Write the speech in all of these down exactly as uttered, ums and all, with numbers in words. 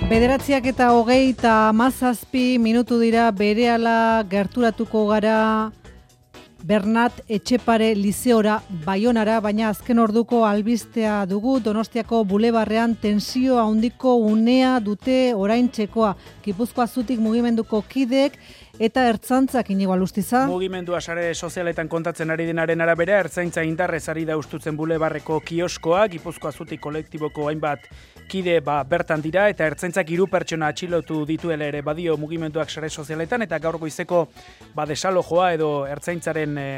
Bederatziak eta hogei eta hamazazpi minutu dira berehala gerturatuko gara Bernat Etxepare Lizeora Baionara, baina azken orduko albistea dugu. Donostiako bulebarrean tensio handiko unea dute oraintzekoa. Gipuzkoa Zutik mugimenduko kideek eta ertzantzak Inigo Alustiza. Mugimendua sare sozialetan kontatzen ari denaren arabera, ertzaintza indarrez ari da ustutzen bulebarreko kioskoa, Gipuzkoa Zutik kolektiboko hainbat kide ba, bertan dira, eta ertzaintzak hiru pertsona atxilotu dituela ere badio mugimenduak sare sozialetan, eta gaur goizeko ba, desalojoa edo ertzaintzaren e,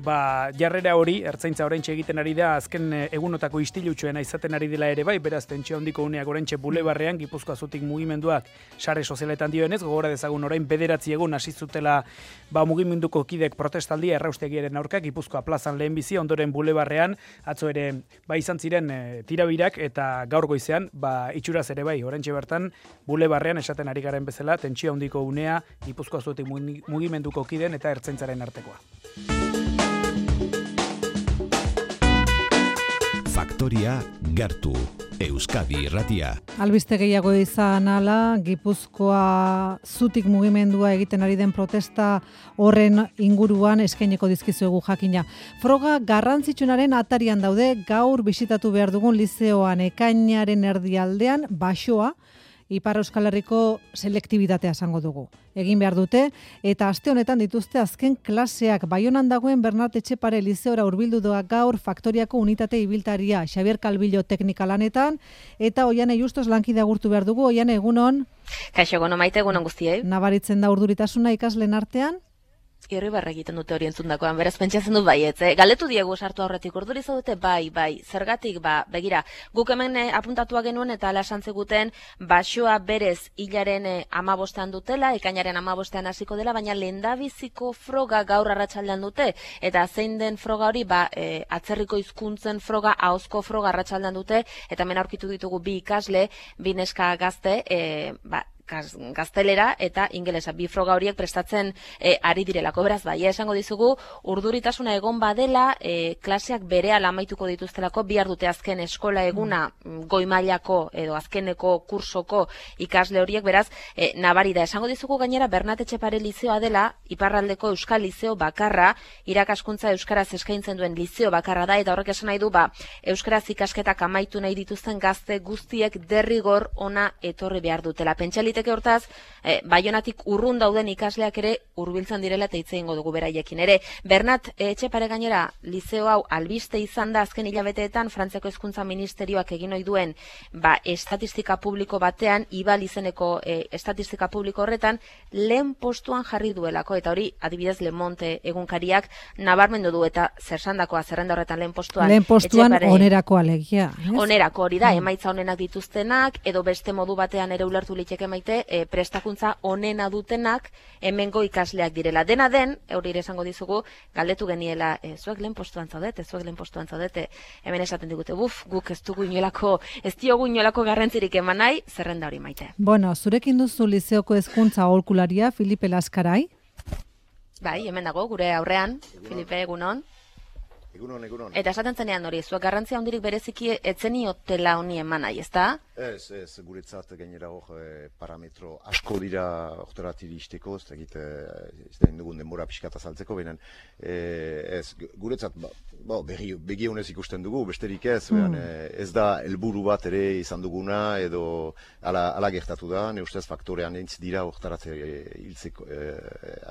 ba, jarrera hori, ertzaintza oraintxe egiten ari da, azken e, egunotako istilutsuena izaten ari dela ere bai, beraz tentsio handiko uneak oraintxe bulebarrean, Gipuzkoa Zutik mugimenduak sare sozialetan dioenez, gogora dezagun orain bederatzi egun hasi zutela ba, mugimenduko kidek protestaldia erraustegiaren aurka, Gipuzkoa plazan lehenbizi, ondoren bulebarrean, atzo ere ba, izan ziren e, tirabirak, eta gaur goizean ba, itxuraz ere bai, oraintxe bertan, bulebarrean esaten ari garen bezala, tentsio handiko unea, Gipuzkoa Zutik mugimenduko kiden eta ertzaintzaren artekoa. Faktoria gertu, Euskadi Irratia. Albiste gehiago izan ala, Gipuzkoa Zutik mugimendua egiten ari den protesta horren inguruan eskaineko dizkizuegu jakina. Froga garrantzitsunaren atarian daude, gaur bisitatu behar dugun lizeoan ekainaren erdialdean, Basoa, Ipar Euskal Herriko selektibitatea esango dugu. Egin behar dute, eta aste honetan dituzte azken klaseak. Baionan dagoen Bernat Etxepare Lizeora hurbildu doa gaur Faktoriako unitate ibiltaria, Xabier Calvillo teknika lanetan, eta Oiane Justos lankide agurtu behar dugu. Oiane, egunon? Kaixo, egunon maite, egunon guztiei. Nabaritzen da urduritasuna ikasleen artean? Irribarre egiten dute hori entzundakoan, beraz pentsatzen dut baietz. Eh? Galetu diegu sartu aurretik urduriza dute, bai, bai, zergatik, ba, begira, guk hemen eh, apuntatua genuen eta ala esan ziguten Basoa berez hilaren eh, amabostean dutela, ekainaren amabostean hasiko dela, baina lehendabiziko froga gaur arratsaldean dute, eta zein den froga hori, ba, eh, atzerriko hizkuntzen froga, ahozko froga arratsaldean dute, eta hemen aurkitu ditugu bi ikasle, bi neska gazte, eh, ba, gaztelera eta ingelesa, bi froga horiek prestatzen e, ari direlako. Beraz, bai, esango dizugu, urduritasuna egon badela, e, klaseak berehala amaituko dituztelako, bihar dute azken eskola eguna goi mailako edo azkeneko kursoko ikasle horiek, beraz, e, nabari da. Esango dizugu gainera, Bernat Etxepare Lizeoa dela, iparraldeko Euskal Lizeo bakarra, irakaskuntza euskaraz eskaintzen duen lizeo bakarra da, eta horrek esan nahi du, ba, euskaraz ikasketak amaitu nahi dituzten gazte guztiek derrigor ona etorri behar dutela. Pentsalit hortaz, eh, Baionatik urrun dauden ikasleak ere hurbiltzen direla eta hitz egingo dugu beraiekin ere. Bernat Etxepare gainera, lizeo hau albiste izan da azken hilabeteetan Frantziako Hezkuntza Ministerioak egin ohi duen ba, estatistika publiko batean, Ibal izeneko eh, estatistika publiko horretan, lehen postuan jarri duelako, eta hori adibidez Le Monde egunkariak nabarmendu du, eta zersandakoa zerrenda horretan lehen postuan. Lehen postuan Etxepare, onerako alegia. Ez? Onerako hori da, emaitza onenak dituztenak, edo beste modu batean ere ulertu liteke maite, E, prestakuntza onena dutenak hemengo ikasleak direla. Dena den, eurire esango dizugu, galdetu geniela, e, zuek lehen postuan zaudete, zuek lehen postuan zaudete, hemen esaten digute, buf, guk ez dugu inolako, ez diogu inolako garrantzirik eman nahi, zerrenda hori maite. Bueno, zurekin duzu lizeoko hezkuntza aholkularia, Filipe Laskarai. Bai, hemen dago, gure aurrean, Filipe, egunon. Egunon, egunon. Eta esaten zenean hori, zuek garrantzia handirik bereziki etzeniotela honi eman nahi, ezta? Ez, ez, guretzat gainera hor e, parametro asko dira oktorat iristeko, ez da egite, ez da indugun denbora pixkat azaltzeko, behinan, e, ez, guretzat, ba, ba, begi, begi honez ikusten dugu, besterik ez, mm. behan, e, ez da helburu bat ere izan duguna, edo ala, ala gertatu da, ne ustez faktorean entz dira oktarat hiltzeko, e,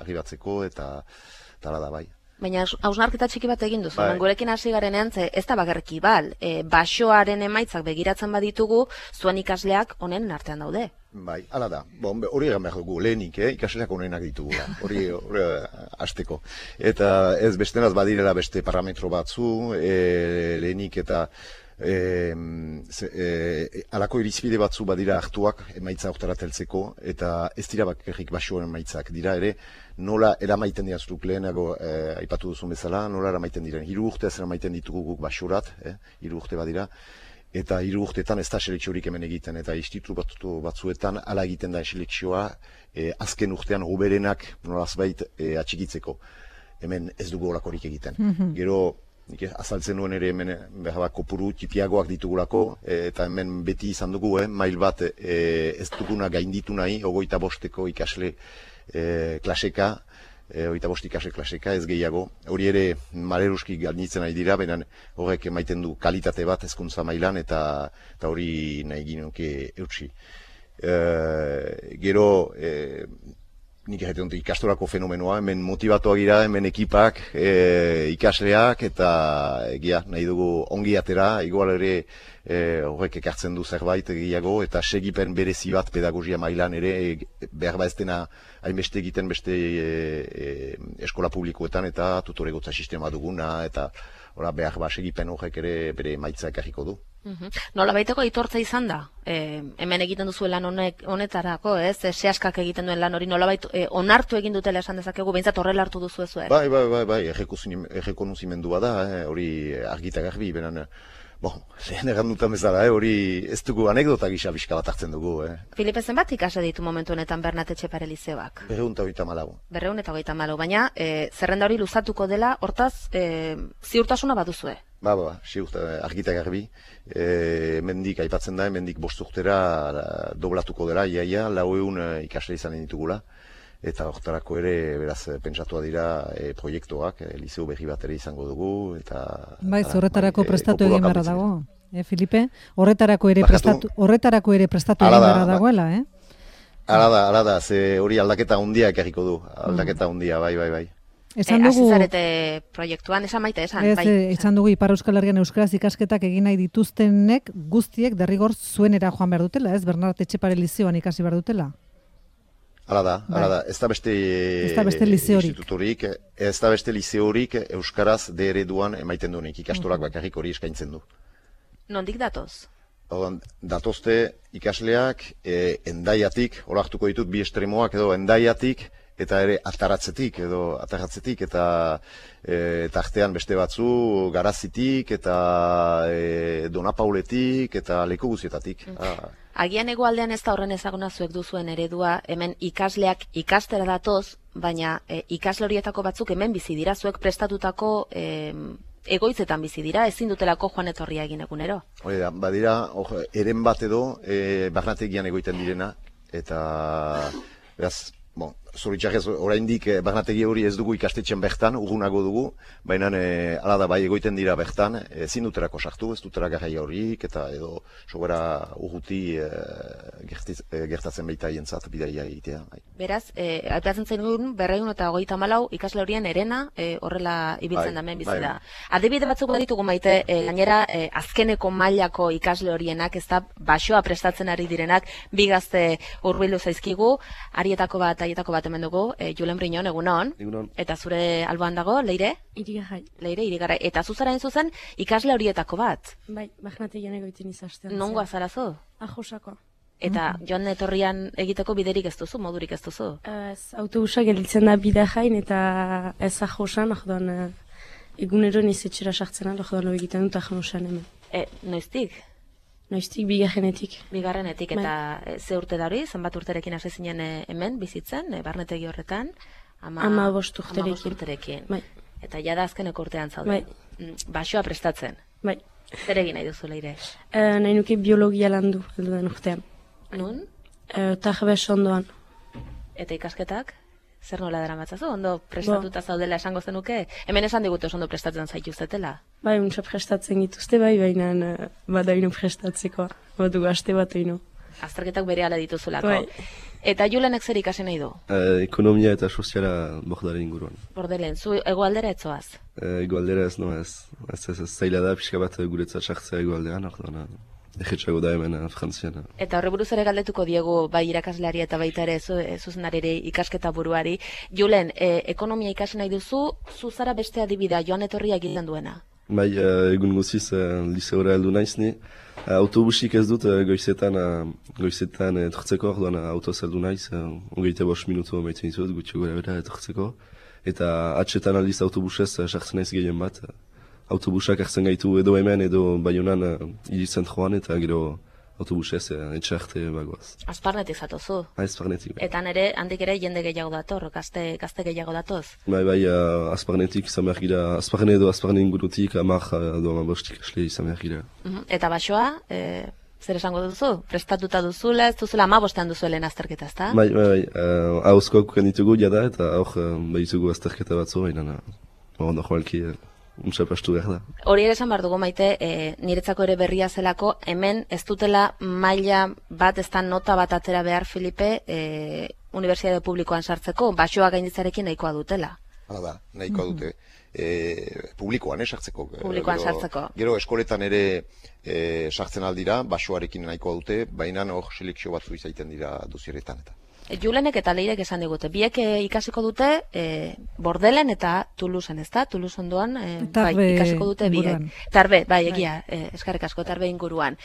arribatzeko, eta tala da bai. Baina hausnarketa txiki bat egin duzu, bai. Gurekin hasi garenean, ez da bakarrik Ibal, e, Basoaren emaitzak begiratzen baditugu, zuen ikasleak honen artean daude. Bai, hala da. Bon, hori egan behar dugu, lehenik, eh? ikasleak honenak ditugu, hori hori hasteko. Eta ez bestenaz badirela beste parametro batzu, e, lehenik eta E, e, alako irizpide batzu badira hartuak emaitza oktarat heltzeko, eta ez dira bakarrik Basoaren emaitzak dira ere, nola eramaiten dira zuruk lehenago e, aipatu duzun bezala, nola eramaiten diren. Hiru urte ez eramaiten ditugu guk Basorat, eh? hiru urte badira, eta hiru urteetan ez da selekziorik hemen egiten, eta institutu batzuetan ala egiten da selekzioa e, azken urtean hoberenak nolazbait e, atxikitzeko. Hemen ez dugu holakorik egiten. Mm-hmm. Gero nik azaltzen nuen ere hemen behar kopuru tipiagoak ditugulako, eta hemen beti izan dugu, eh, mail bat eh, ez duguna gainditu nahi, ogoita bosteko ikasle eh, klaseka, E, oita bost ikasle klaseka, ez gehiago. Hori ere maleruski gainditzen nahi dira, benan horrek emaiten du kalitate bat hezkuntza mailan, eta, eta hori nahi ginoke eutsi. E, gero, e, nik erretu dut ikastorako fenomenoa, hemen motivatuak gira, hemen ekipak, e, ikasleak, eta egia nahi dugu ongi atera, igual ere e, horrek ekartzen du zerbait gehiago, eta segipen berezi bat pedagogia mailan ere, e, behar ba ez dena hainbeste egiten beste e, e, eskola publikoetan, eta tutoregotza sistema duguna, eta ora, behar ba segipen horrek ere bere maitza ekarriko du. Uhum. Nola baiteko aitortza izan da? E, hemen egiten duzu lan honek, honetarako, ez? E, sehaskak egiten duen lan hori nola bait, e, onartu egin dutela esan dezakegu, behintzat horrela hartu duzu ez? Bai, bai, bai, bai, errekonuzimendua da, eh, hori argita garbi, benan, bon, lehen errandutan bezala, eh, hori ez dugu anekdota gisa bizka bat hartzen dugu. Eh. Filipe, zenbat ikase ditu momentu honetan Bernat Etxepare lizeoak? Berreun eta hogeita malau. Berreun eta hogeita malau, baina e, zerrenda hori luzatuko dela, hortaz, e, ziurtasuna baduzue? Ba, ba, ziurta, argita garbi, e, mendik aipatzen da, mendik bost urtera doblatuko dela, iaia, lau egun ikasle izan ditugula, eta hortarako ere, beraz, pentsatua dira e, proiektuak, e, lizeo berri bat ere izango dugu, eta... Bai, horretarako bai, prestatu e, egin beharra dago, eh, Filipe? Horretarako ere prestatu, horretarako ere prestatu egin beharra dagoela, eh? Hala da, hala da, ze hori aldaketa hundia ekarriko du, aldaketa hundia, bai, bai, bai. Esan dugu, e, azizarete proiektuan, esan maite, esan, ez, bai. Esan dugu Ipar Euskal Herrian euskaraz ikasketak egin nahi dituztenek guztiek derrigor zuenera joan behar dutela, ez? Bernat Etxepare lizioan ikasi behar dutela. Hala da, hala da, ez da beste, beste lizeorik. institutorik, ez da beste lizeorik euskaraz de ereduan emaiten duenik, ikastorak bakarrik hori eskaintzen du. Nondik datoz? Odan, datozte ikasleak e, endaiatik, hor hartuko ditut bi estremoak edo endaiatik, eta ere ataratzetik edo ataratzetik eta e, tartean beste batzu garazitik eta e, donapauletik eta leku guzietatik. Mm. Ah. Agian hegoaldean ez da horren ezaguna zuek duzuen eredua, hemen ikasleak ikastera datoz, baina e, ikasle horietako batzuk hemen bizi dira, zuek prestatutako e, egoitzetan bizi dira, ezin dutelako joan etorria egin egunero. Hori da, badira, or, eren bat edo e, barnategian egoiten direna, eta beraz, bon, zoritxarrez, oraindik eh, barnategi hori ez dugu ikastetxen bertan, urgunago dugu, baina eh, ala da bai egoiten dira bertan, ezin eh, duterako sartu, ez dutera garrai horik, eta edo sobera urruti eh, gertiz, eh, gertatzen baita hientzat bidaia egitea. Bai. Beraz, eh, aipatzen zen duen, berreun eta hogeita malau ikasle horien erena eh, horrela ibiltzen bai, damen bizi da. Bai. Adibide batzuk ditugu maite, eh, gainera eh, azkeneko mailako ikasle horienak, ez da basoa prestatzen ari direnak, bi gazte hurbildu zaizkigu, arietako bat, aietako bat hemen dugu, e, Julen Briñon, egunon. Egunon. Eta zure alboan dago, Leire? Irigarai. Leire, Irigarai. Eta zuzara zuzen ikasle horietako bat? Bai, Barnategian egoiten izastean. Nongo azarazu? Ajosako. Eta joan etorrian egiteko biderik ez duzu, modurik ez duzu? Ez, autobusa gelditzen da bidea jain eta ez ajosan, ahdoan egunero nizetxera sartzen aldo, ahdoan egiten dut ajosan hemen. E, noiztik? Noiztik bigarrenetik. Bigarrenetik, eta e, ze urte da hori, zenbat urterekin hasi zinen e, hemen, bizitzen, e, barnetegi horretan? Ama, ama bost urterekin. Ama bost urterekin. Bai. Eta jada azkeneko urtean zaude. Bai. Basoa prestatzen. Bai. Zer egin nahi duzu, Leire? E, nahi nuke biologia landu, edo urtean. Nun? E, Tarbes ondoan. Eta ikasketak? Zer nola dara matzazu? Ondo prestatuta zaudela esango zenuke? Hemen esan digute ondo prestatzen zaituztetela? Bai, untsa prestatzen gituzte bai, baina badaino prestatzeko, badu aste bat ino. Azterketak bere ala dituzulako. Bai. Eta Julenek zer ikasi nahi du? Eh, ekonomia eta soziala bordaren inguruan. Bordelen, zu egoaldera etzoaz? Eh, egoaldera ez, no ez. Ez ez ez zaila da, pixka bat guretzat sartzea egoaldean, orduan, egetxago da hemen Frantzian. Eta horre buruz ere galdetuko diegu bai irakasleari eta baita ere zu, zuzenarere ikasketa buruari. Julen, e, ekonomia ikasi nahi duzu, zu zara beste adibidea joan etorria egiten duena? Bai, egun guziz liseora heldu naiz ni. Autobusik ez dut goizetan, goizetan etortzeko, orduan autoz heldu naiz, hogeita bost minutu maiten ditut, gutxi gora bera etortzeko. Eta atxetan aldiz autobusez sartzen naiz gehien bat. Autobusak hartzen gaitu edo hemen edo Baionan hiri zentroan eta gero autobusez, etxe arte bagoaz. Azparnetik zatozu. Azparnetik, bai. Eta nere, handik ere jende gehiago dator, gazte, gazte gehiago datoz. Bai, bai, uh, azparnetik izan behar gira, azparne edo azparne ingurutik, amak edo amabostik asle izan behar gira. Uh-huh. Eta basoa, e, zer esango duzu? Prestatuta duzula, ez duzula amabostean duzuelen azterketa, ezta? Bai, bai, bai, uh, hauzkoak ditugu jada eta hor uh, behitugu azterketa batzu, baina hor normalki uh, unsapastu behar da. Hori ere esan behar dugu maite, e, niretzako ere berria zelako, hemen ez dutela maila bat, ez da nota bat atera behar, Filipe, e, Unibertsitate Publikoan sartzeko, basoa gainditzarekin nahikoa dutela. Hala da, nahikoa dute. E, publikoan, eh, sartzeko. Publikoan gero, sartzeko. Gero eskoletan ere e, sartzen aldira, basoarekin nahikoa dute, baina hor selekzio batzu izaiten dira duzieretan eta. Julenek eta Leirek esan digute, biek e, ikasiko dute e, Bordelen eta Toulouseen, ez da? Toulouse ondoan e, bai, ikasiko dute biek. Tarbe, bai, egia, e, eskarrik asko, tarbe inguruan.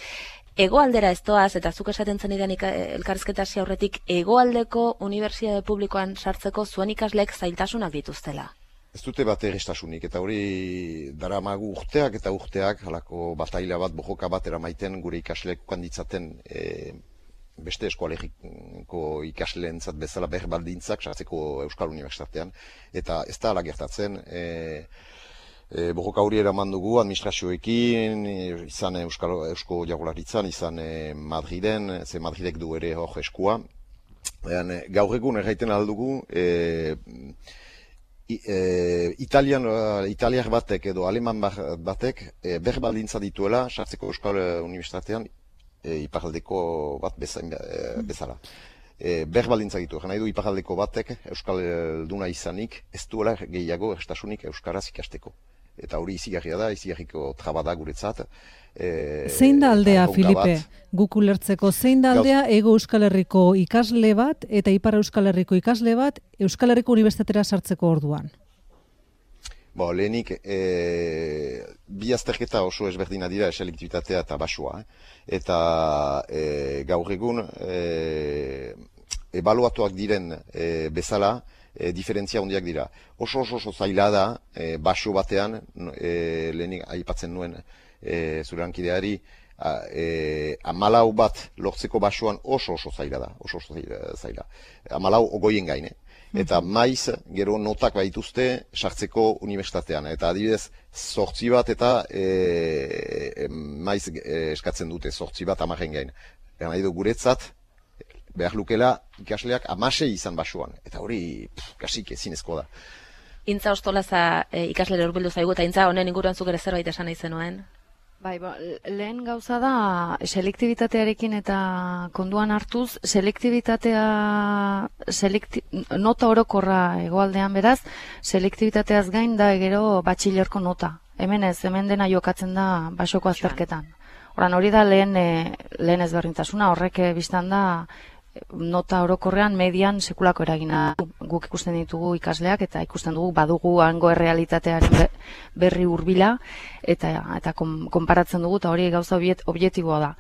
Hegoaldera ez doaz, eta zuk esaten zenidan elkarrizketa hasi aurretik, hegoaldeko unibertsitate publikoan sartzeko zuen ikasleek zailtasunak dituztela. Ez dute bat errestasunik, eta hori daramagu urteak eta urteak, halako bataila bat, bojoka bat eramaiten gure ikasleek ukanditzaten e, beste eskualegiko ikasleentzat bezala behar baldintzak sartzeko Euskal Unibertsitatean, eta ez da ala gertatzen, e, e, bojoka hori eraman dugu administrazioekin, izan Euskal, Eusko Jaurlaritzan, izan e, Madriden, ze Madridek du ere hor eskua. E, gaur egun erraiten aldugu, e, e, Italian, Italiar batek edo Aleman batek e, behar baldintza dituela sartzeko Euskal Unibertsitatean, E, iparaldeko bat bezain, e, bezala. E, Behar baldintzak ditu, nahi du iparaldeko batek Euskalduna izanik ez duela gehiago erstasunik Euskaraz ikasteko. Eta hori izigarria da, izigarriko traba da guretzat. E, zein da aldea, Filipe, guk ulertzeko, zein da aldea Ego Euskal Herriko ikasle bat eta Ipar Euskal Herriko ikasle bat Euskal Herriko Unibertsitatera sartzeko orduan? Bo, lehenik, e, bi azterketa oso ezberdina dira selektibitatea eta basoa. Eh? Eta e, gaur egun, e, ebaluatuak diren e, bezala, e, diferentzia handiak dira. Oso oso oso zaila da, e, baso batean, e, lehenik aipatzen nuen e, zure hankideari, e, amalau bat lortzeko basoan oso oso zaila da, oso oso zaila. Amalau ogoien gaine. Eta maiz, gero notak baituzte sartzeko unibertsitatean. Eta adibidez, zortzi bat eta e, maiz e, eskatzen dute, zortzi bat amaren gain. Nahi du guretzat, behar lukela ikasleak amasei izan basoan. Eta hori, pff, kasik ezinezko da. Intza Ostolaza e, ikaslere hurbildu zaigu, eta Intza honen inguruan zuk ere zerbait esan nahi zenuen? Bai, ba, lehen gauza da, selektibitatearekin eta konduan hartuz, selektibitatea, selekti, nota orokorra hegoaldean beraz, selektibitateaz gain da gero batxilerko nota. Hemen ez, hemen dena jokatzen da basoko azterketan. Horan hori da lehen, lehen ezberdintasuna, horrek biztan da, nota orokorrean median sekulako eragina. Guk ikusten ditugu ikasleak eta ikusten dugu badugu hango errealitatearen berri hurbila eta eta konparatzen dugu eta hori gauza objektiboa da.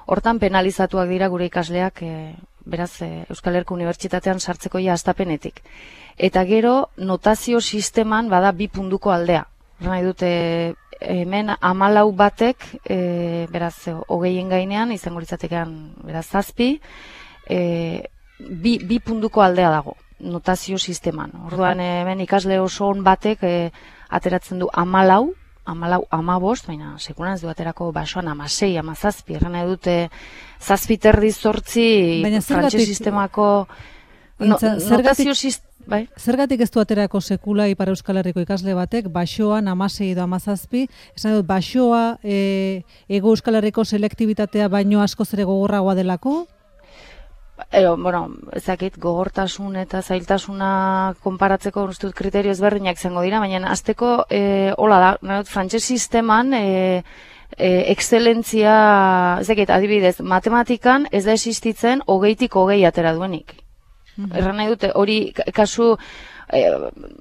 Hortan penalizatuak dira gure ikasleak e, beraz e, Euskal Herriko Unibertsitatean sartzeko ja hastapenetik. Eta gero notazio sisteman bada bi puntuko aldea. Nahi dute hemen hamalau batek e, beraz hogeien gainean izango litzatekean beraz zazpi. E, bi, bi puntuko aldea dago, notazio sisteman. Orduan hemen ikasle oso on batek e, ateratzen du hamalau, hamalau, hamabost, baina sekulan ez du aterako basoan hamasei, hamazazpi, erran nahi dute zazpi terdi zortzi frantses sistemako no, notazio sisteman. Bai. Zergatik ez du aterako sekula Ipar Euskal Herriko ikasle batek, basoan hamasei edo hamazazpi, esan dut, basoa e, Ego Euskal Herriko selektibitatea baino askoz ere gogorragoa delako? Ero, bueno, ezakit, gogortasun eta zailtasuna konparatzeko ustut kriterio ezberdinak izango dira, baina azteko, e, hola da, frantses sisteman, e, e, excelentzia, ezakit, adibidez, matematikan ez da existitzen hogeitik hogei atera duenik. Mm-hmm. Erran nahi dute, hori kasu e,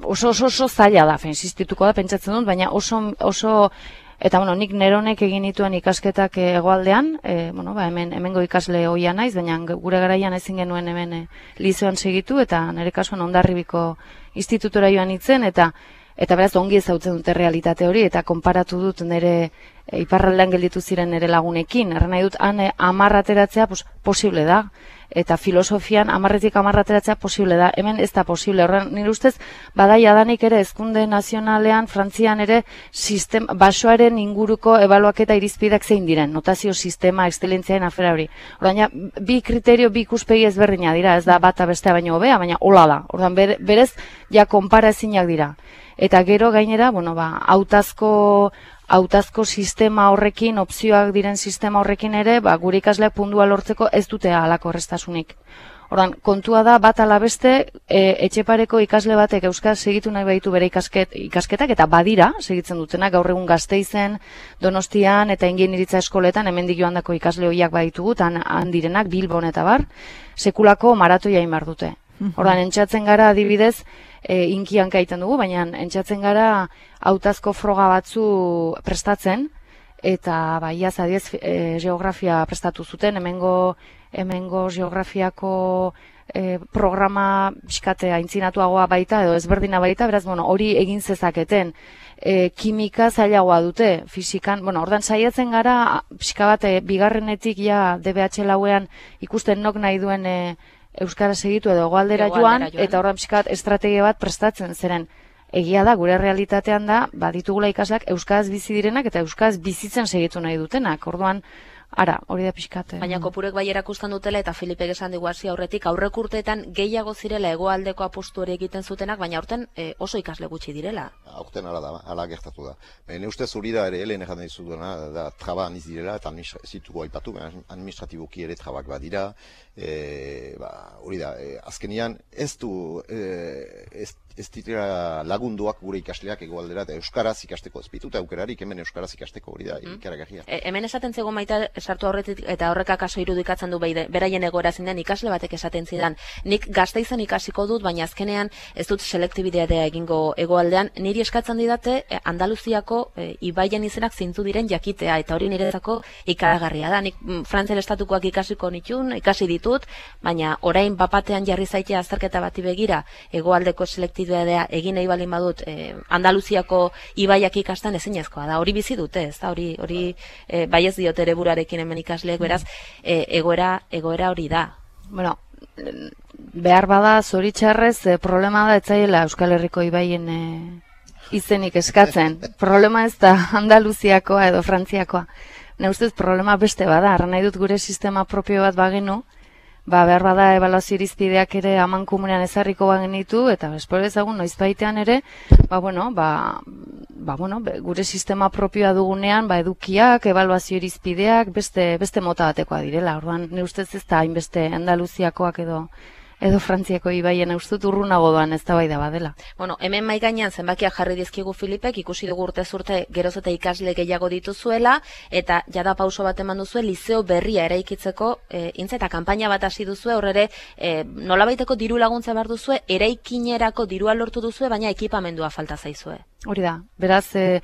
oso oso oso zaila da, existituko da, pentsatzen dut, baina oso, oso eta bueno, nik neronek egin dituen ikasketak hegoaldean, e, bueno, ba, hemen hemengo ikasle ohia naiz, baina gure garaian ezin genuen hemen e, lizeoan segitu eta nire kasuan Hondarribiko institutora joan itzen eta Eta beraz, ongi ezautzen dute realitate hori, eta konparatu dut nire e, iparraldean gelditu ziren nire lagunekin. Erran nahi dut, han e, amarrateratzea pues, posible da. Eta filosofian amarretik amarrateratzea posible da. Hemen ez da posible. Horren, nire ustez, badai adanik ere, ezkunde nazionalean, Frantzian ere, sistem, basoaren inguruko ebaluaketa irizpideak zein diren. Notazio sistema, exzelentziaren afera hori. Horren, bi kriterio, bi ikuspegi ezberdina dira, ez da bata bestea baino hobea, baina hola da. Horren, berez, ja konpara ezinak dira. Eta gero gainera, bueno, ba, hautazko hautazko sistema horrekin, opzioak diren sistema horrekin ere, ba, gure ikasleak pundua lortzeko ez dute halako errestasunik. Ordan, kontua da bat ala beste, e, etxepareko ikasle batek euskaz segitu nahi baitu bere ikasket, ikasketak, eta badira, segitzen dutenak, gaur egun Gasteizen, Donostian, eta ingeniaritza eskoletan, hemendik joandako ikasle horiak baditugu, tan handirenak, Bilbon eta bar, sekulako maratoia inbar dute. Ordan, entxatzen gara adibidez, e, inkian kaiten dugu, baina entxatzen gara hautazko froga batzu prestatzen, eta bai, iaz adiez e, geografia prestatu zuten, hemengo, hemengo geografiako e, programa pixkate aintzinatuagoa baita, edo ezberdina baita, beraz, bueno, hori egin zezaketen. E, kimika zailagoa dute, fisikan, bueno, ordan saiatzen gara, pixka bat, e, bigarrenetik ja D B H lauean ikusten nok nahi duen e, euskara segitu edo hegoaldera joan, joan, eta horren pixkat estrategia bat prestatzen, zeren egia da, gure realitatean da, baditugula ikasleak euskaraz bizi direnak eta euskaraz bizitzen segitu nahi dutenak, orduan, ara, hori da pixkate. Baina kopurek bai erakustan dutela, eta Filipek esan digu hasi aurretik, aurrek urteetan gehiago zirela hegoaldeko apustu hori egiten zutenak, baina aurten e, oso ikasle gutxi direla. Aurten ala da, ala gertatu da. Ne ustez hori da ere, helen egan dizu duena, da traba aniz direla, eta zitugu aipatu, administratiboki ere trabak badira, e, ba, hori da, e, azkenian ez du, e, ez, ez ditera lagunduak gure ikasleak hegoaldera eta euskaraz ikasteko, ez bituta aukerarik hemen euskaraz ikasteko, hori da, mm. ikaragarria. E, hemen esaten zego maita, sartu aurretik eta horrek akaso irudikatzen du beide, beraien egoera zinden ikasle batek esaten zidan. Nik Gasteizen ikasiko dut, baina azkenean ez dut selektibidea egingo hegoaldean, niri eskatzen didate e, Andaluziako e, ibaien izenak zintzu diren jakitea, eta hori niretzako ikaragarria da. Nik Frantzian estatukoak ikasiko nitun, ikasi ditut, baina orain bapatean jarri zaitea azterketa bati begira, hegoaldeko selektibidea egin nahi balin badut e, Andaluziako ibaiak ikasten ezinezkoa da. Hori bizi dute, ez da, hori, hori e, bai ez diote ere burarekin hemen ikasleek, beraz, e, egoera, egoera hori da. Bueno, behar bada zoritxarrez, e, problema da etzaiela Euskal Herriko ibaien e, izenik eskatzen. Problema ez da Andaluziakoa edo Frantziakoa. Ne ustez problema beste bada, arra nahi dut gure sistema propio bat bagenu, ba, behar bada ebaluazio irizpideak ere aman komunean ezarriko bagenitu, eta espero ezagun noiz baitean ere, ba, bueno, ba, ba, bueno, gure sistema propioa dugunean, ba, edukiak, ebaluazio irizpideak, beste, beste mota batekoa direla. Orduan, ne ustez ez da hainbeste Andaluziakoak edo edo Frantziako ibaien ustut urrunago doan ez da bai da badela. Bueno, hemen mai gainean zenbakiak jarri dizkigu Filipek, ikusi dugu urtez urte geroz eta ikasle gehiago dituzuela, eta jada pauso bat eman duzue liceo berria eraikitzeko, e, intza eta kanpaina bat hasi duzue, horre e, nolabaiteko diru laguntza behar duzue, eraikinerako dirua lortu duzue, baina ekipamendua falta zaizue. Hori da, beraz, e,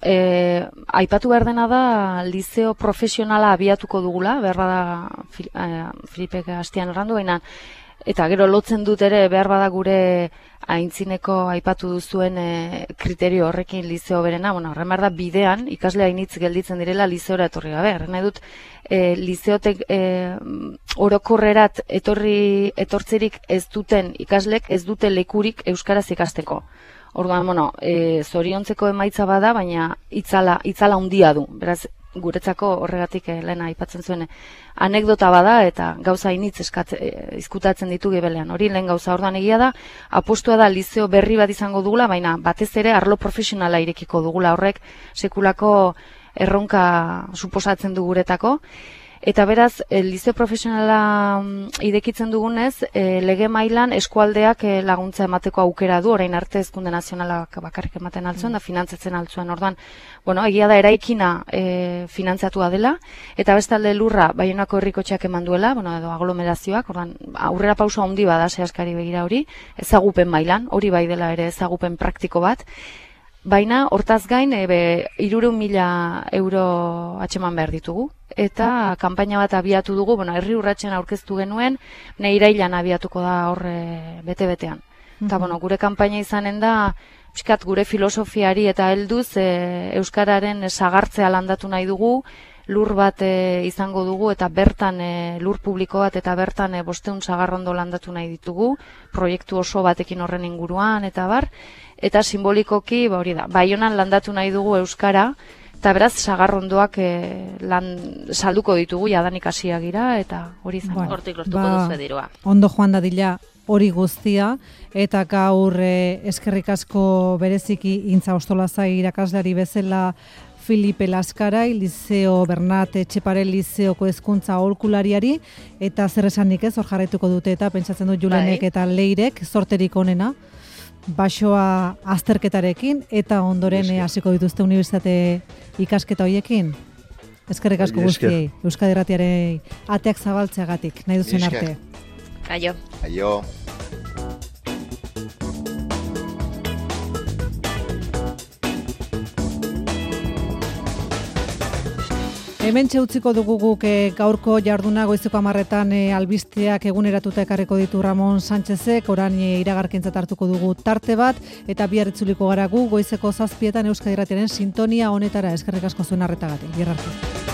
e, aipatu behar dena da, liceo profesionala abiatuko dugula, behar da Filipek hastian errandu, baina eta gero lotzen dut ere behar bada gure aintzineko aipatu duzuen e, kriterio horrekin liceo berena, bueno, horren behar da bidean ikasle hainitz gelditzen direla liceora etorri gabe. Horren nahi dut e, liceotek e, orokorrerat etorri etortzerik ez duten ikaslek ez dute lekurik euskaraz ikasteko. Orduan, bueno, e, zoriontzeko emaitza bada, baina itzala, itzala handia du. Beraz, guretzako horregatik eh, lehena aipatzen zuen anekdota bada eta gauza initz izkutatzen ditu gibelean. Hori lehen gauza. Orduan egia da, apostua da liceo berri bat izango dugula, baina batez ere arlo profesionala irekiko dugula, horrek sekulako erronka suposatzen du guretako. Eta beraz, e, liceo profesionala mm, idekitzen dugunez, e, lege mailan eskualdeak e, laguntza emateko aukera du, orain arte hezkunde nazionalak bakarrik ematen altzuen, da finantzatzen altzuen. Orduan, bueno, egia da eraikina e, finantzatua dela, eta bestalde lurra Baionako herrikotxeak eman duela, bueno, edo aglomerazioak, orduan, aurrera pauso handi bada sehaskari begira hori, ezagupen mailan, hori bai dela ere ezagupen praktiko bat, baina hortaz gain ebe hirurehun mila euro atxeman behar ditugu. Eta kanpaina bat abiatu dugu, bueno, herri urratsen aurkeztu genuen, ne irailan abiatuko da horre bete-betean. Eta, bueno, gure kanpaina izanen da, pixkat gure filosofiari eta helduz e, euskararen sagartzea landatu nahi dugu, lur bat e, izango dugu eta bertan e, lur publiko bat eta bertan e, bosteun sagarrondo landatu nahi ditugu, proiektu oso batekin horren inguruan eta bar, eta simbolikoki, ba hori da, Baionan landatu nahi dugu euskara, eta beraz sagarrondoak e, lan salduko ditugu jadanik hasiak gira eta hori izango. Bueno, hortik lortuko ba, duzu dirua. Ondo joan dadila hori guztia, eta gaur e, eskerrik asko bereziki Intza Ostolazai irakasleari bezala Filipe Laskarai, Liceo Bernat Etxepare Liceoko hezkuntza aholkulariari, eta zer esanik ez, hor jarraituko dute eta pentsatzen dut Julenek bai. Eta Leirek zorterik onena, basoa azterketarekin, eta ondoren hasiko dituzte unibertsitate ikasketa hoiekin. Eskerrik asko guztiei, Euskadi Irratiaren ateak zabaltzeagatik, nahi duzen arte. Aio. Aio. Hemen txeutziko dugu guk e, gaurko jarduna goizeko hamarretan e, albisteak eguneratuta ekarriko ditu Ramon Sánchezek, orain e, iragarkentzat hartuko dugu tarte bat, eta bihar itzuliko gara gu goizeko zazpietan Euskadi Irratiaren sintonia honetara. Eskerrik asko zuen arretagatik. Bihar arte.